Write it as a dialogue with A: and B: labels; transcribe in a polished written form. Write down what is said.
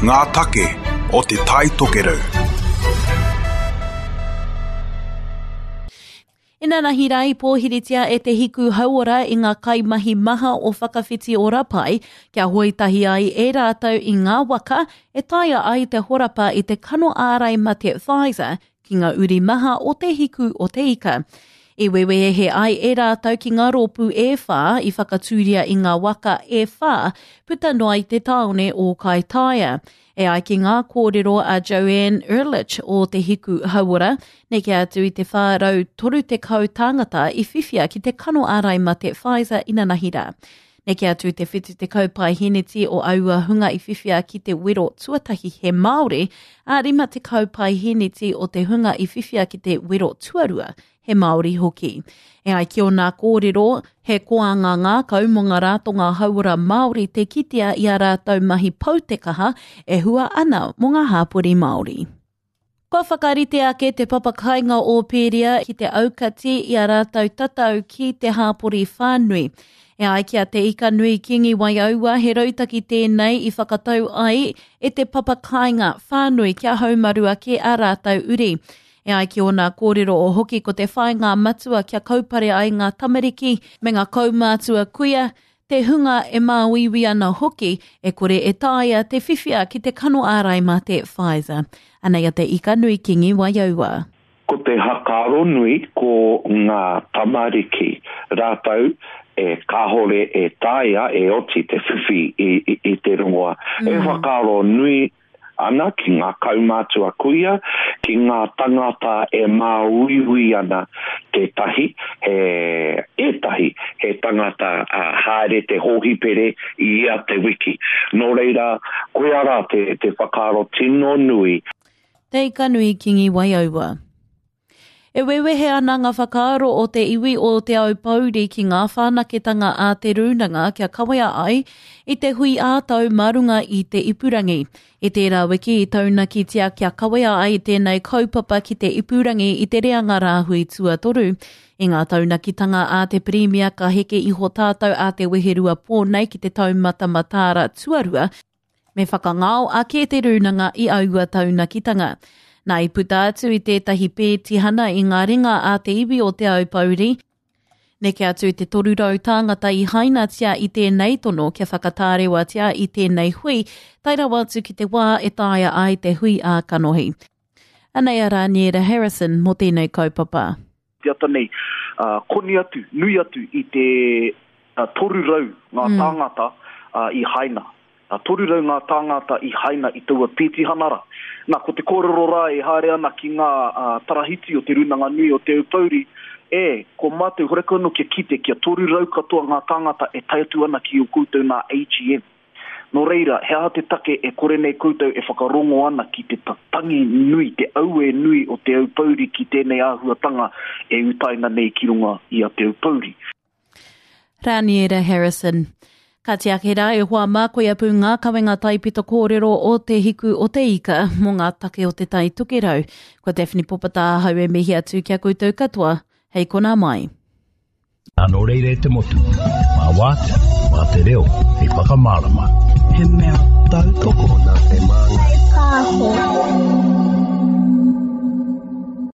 A: Ngā take o Te Tai Tokerau.
B: Inanahi rā i pōhiritia e Te Hiku Hauora i ngā kaimahi maha o Whakawhiti Ora Pai kia hoe tahi ai e rātou i ngā waka e taea ai te horapa i te kano ārai mate Pfizer ki ngā uri maha o Te Hiku o Te Ika. I wewehe ai e rātou ki ngā rōpū e whā i whakatūria i ngā waka e whā puta noa i te tāone o Kaitaia. E ai ki ngā kōrero a Joanne Erlich o Te Hiku Hauora, neke atu i te 430 tāngata i whiwhia ki te kano ārai mate Pfizer inanahi rā. Neke atu i te 70 paeheneti o aua hunga i whiwhia ki te wero tuatahi he Māori, ā, 50 paeheneti o te hunga i whiwhia ki te wero tuarua he Māori hoki. E ai ki ōna kōrero, he koanga ngākau mō ngā ratonga hauora Māori te kitea i ā rātou mahi pou te kaha e hua ana mō ngā hāpori Māori. Kua whakarite ake te papakainga o Pēria ki te aukati i a rātou tatau ki te hāpori whānui. E ai ki a Te Ikanui Kingi Waiaua, he rautaki tēnei i whakatau ai e te papakainga whānui kia haumaru ake a rātou uri. E ai ki ōna kōrero o hoki ko te whāinga matua kia kaupare ai ngā tamariki me ngā kaumātua kuia, te hunga e māuiui ana hoki e kore e taea te whiwhia ki te kano ārai mate Pfizer. Anei a Te Ikanui Kingi Waiaua.
C: Ko te hakaaro nui ko nga tamariki ratou e kahore e taea e oti te whiwhi i te rongoa. E whakaaro nui ana ki ngā kaumātua kuia, ki ngā tangata e māuiui ana tētahi, he, ētahi he tangata haere te hōhipere i ia te wiki. Nō reira, koia rā te, te whakaaro tino nui.
B: Te Ikanui Kingi Waiaua. E wewehe ana ngā whakaaro o te iwi o Te Aupōuri ki ngā whanaketanga a Te Rūnanga kia kawea ai i te hui ā-tau mā runga i te ipurangi. I tērā wiki i taunakitia kia kawea ai tēnei kaupapa ki te ipurangi i te reanga rāhui tuatoru. I ngā taunakitanga a te Pirimia ka heke iho tātou a te weherua pō nei ki te taumata mataara tuarua, Me whakangao ake te rūnanga i aua taunakitanga. Nā, i puta atu i tētahi pētihana i ngā ringa a te iwi o Te Aupōuri, neke atu i te 300 tāngata i hainatia i tēnei tono kia whakatārewatia i tēnei hui, tae rawa atu ki te wā e taea ai te hui ā-kanohi. Anei a Rāniera Harrison mō tēnei kaupapa.
D: Te ata nei, koni atu, nui atu i te 300 ngā tāngata i haina. 300 ngā tāngata i haina i taua pētihana rā. Nā, ko te kōrero rā e haere ana ki ngā tarahiti o Te Rūnanga Nui o Te Aupōuri, e, ko mātou horekau anō kia kite kia 300 katoa ngā tāngata e tae atu ana ki ō koutou nā AGM. Nō reira, he aha te take e kore nei koutou e whakarongo ana ki te tangi nui, te auē nui o Te Aupōuri ki tēnei āhuatanga e utaina nei ki runga i a Te Aupōuri?
B: Raniera Harrison. Ka tiaki rā e hoa mā koia pū ngā kawenga taipito kōrero o Te Hiku o Te Ika mō ngā take o Te Tai Tokerau. Ko Daphne Popata ahau e mihi atu ki a koutou katoa, hei konā mai.
E: Nā nō reira e te motu, mā wātea, mā te reo, hei whakamārama.
F: He mea tautoko nā te māngai. Pāho.